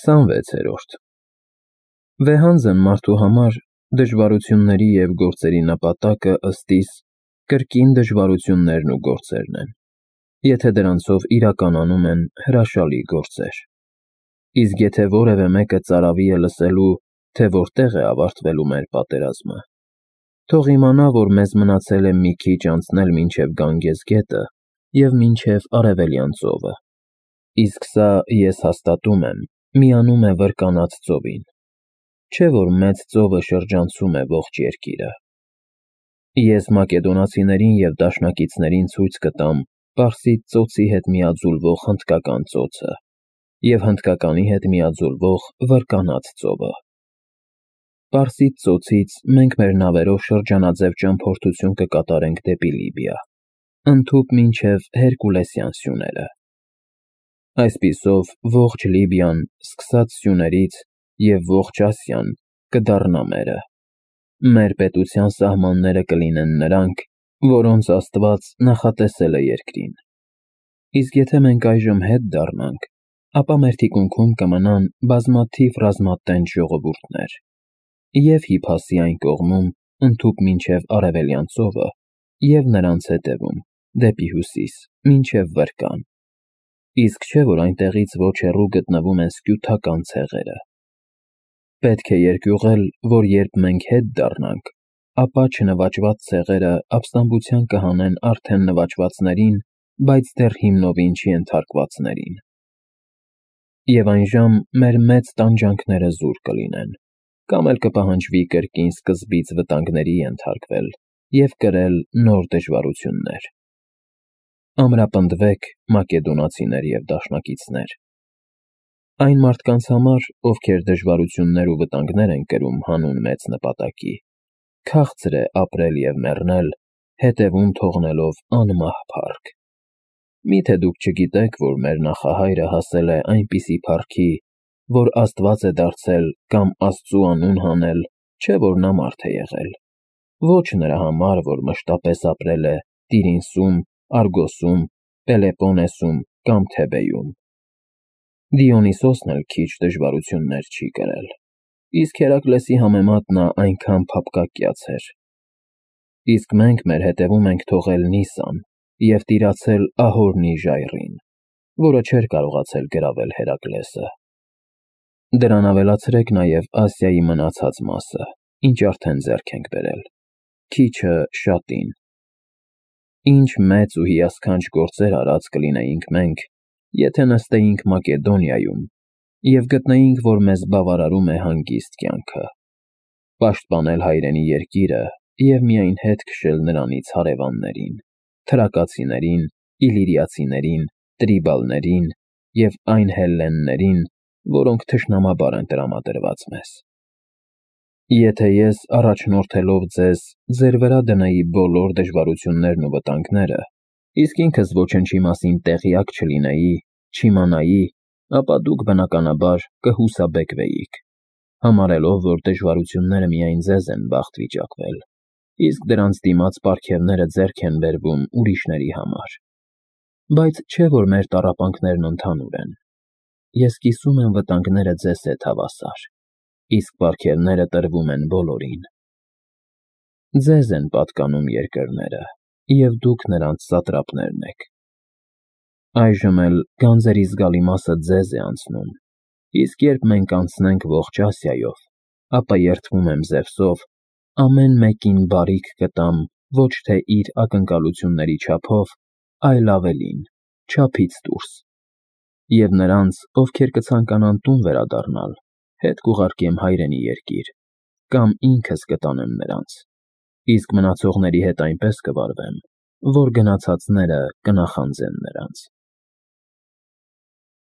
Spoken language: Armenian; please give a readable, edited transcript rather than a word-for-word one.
26-րդ Վեհանձն մարդու համար դժվարությունների և գործերի նպատակը ըստ իս կրկին դժվարություններն ու գործերն են, եթե դրանցով իրականանում են հրաշալի գործեր։ Իսկ եթե որևէ մեկը ծարավի է լսելու, թե որտեղ է ավարտվելու մեր պատերազմը, թող իմանա, որ մեզ մնացել է մի քիչ անցնել մինչև Գանգես գետը և մինչև Արևելյան ծովը, իսկ սա, ես հաստատում եմ, միանում է Վրկանաց ծովին, չէ՞ որ մեծ ծովը շրջանցում է ողջ երկիրը։ Ես մակեդոնացիներին և դաշնակիցներին ցույց կտամ Պարսից ծոցի հետ միաձուլվող հնդկական ծոցը և հնդկականի հետ միաձուլվող Վրկանաց ծովը։ Պարսից ծոցից մենք մեր նավերով շրջանաձև ճամփորդություն կկատարենք դեպի Լիբիա, ընդհուպ մինչև Հերկուլեսյան սյուները։ Այսպիսով ողջ Լիբիան, սկսած սյուներից և ողջ Ասիան կդառնա մերը։ Մեր պետության սահմանները կլինեն նրանք, որոնց Աստված նախատեսել է երկրին։ Իսկ եթե մենք այժմ հետ դառնանք, ապա մեր թիկունքում կմնան բազմաթիվ ռազմատենչ ժողովուրդներ և՛ Հիփասի այն կողմում, ընդհուպ մինչև Արևելյան ծովը, և նրանց հետևում, դեպի հյուսիս, մինչև Վրկան։ Իսկ չէ՞ որ այնտեղից ոչ հեռու գտնվում են սկյութական ցեղերը։ Պետք է երկյուղել, որ երբ մենք հետ դառնանք, ապա չնվաճված ցեղերը ապստամբության կհանեն արդեն նվաճվածներին, բայց դեռ հիմնովին չենթարկվածներին։ Եվ այնժամ մեր մեծ տանջանքները զուր կլինեն, կամ էլ կպահանջվի կրկին սկզբից վտանգների ենթարկվել և կրել նոր դժվարություններ։ Ամրապնդվեք, մակեդոնացիներ և դաշնակիցներ։ Այն մարդկանց համար, ովքեր դժվարություններ ու վտանգներ են կրում հանուն մեծ նպատակի, քաղցր է ապրել և մեռնել, հետևում թողնելով անմահ փառք։ Մի՞թե դուք չգիտեք, որ մեր նախահայրը հասել է այնպիսի փառքի, որ Աստված է դարձել կամ Աստծու անուն հանել, չէ՞ որ նա մարդ է եղել, ոչ նրա համար, որ մշտապես ապրել է Տիրինսում, Արգոսում, Պելեպոնեսում կամ Թեբեյում։ Դիոնիսոսն էլ քիչ դժվարություններ չի կրել, իսկ Հերակլեսի համեմատ նա այնքան փափկակյաց էր։ Իսկ մենք մեր հետևում ենք թողել Նիսան և տիրացել Ահորնի ժայռին, որը չէր կարողացել գրավել Հերակլեսը։ Դրան ավելացրեք նաև Ասիայի մնացած մասը, ինչ արդեն ձեռք ենք բերել, քիչը շատին։ Ինչ մեծ ու հիասքանչ գործեր արած կլինեինք մենք, եթե նստեինք Մակեդոնիայում և գտնեինք, որ մեզ բավարարում է հանգիստ կյանքը, պաշտպանել հայրենի երկիրը և միայն հետ քշել նրանից հարևաններին, թրակացիներին, իլիրիացիներին, տրիբալներին և այն հելլեններին, որոնք թշնամաբար են տրամադրված մեզ։ Եթե ես, առաջնորդելով ձեզ, ձեր վրա դնեի բոլոր դժվարություններն ու վտանգները, իսկ ինքս ոչնչի մասին տեղյակ չլինեի, չիմանայի, ապա դուք, բնականաբար, կհուսաբեկվեիք, համարելով, որ դժվարությունները միայն ձեզ են բախտ վիճակվել, իսկ դրանց դիմաց պարգևները ձեռք են բերվում ուրիշների համար։ Բայց չէ՞ որ մեր տառապանքներն ընդհանուր են։ Ես կիսում եմ վտանգները ձեզ հետ հավասար, իսկ պարգևները տրվում են բոլորին։ Ձեզ են պատկանում երկրները, և դուք նրանց սատրապներն եք։ Այժմ էլ գանձերի զգալի մասը ձեզ է անցնում, իսկ երբ մենք անցնենք ողջ Ասիայով, ապա երդվում եմ Զևսով, ամեն մեկին բարիք կտամ ոչ թե իր ակնկալությունների չափով, այլ ավելին, չափից դուրս։ Եվ նրանց, ովքեր կցանկանան տուն վերադառնալ, հետ կուղարկեմ հայրենի երկիր, կամ ինքս կտանեմ նրանց, իսկ մնացողների հետ այնպես կվարվեմ, որ գնացածները կնախանձեն նրանց։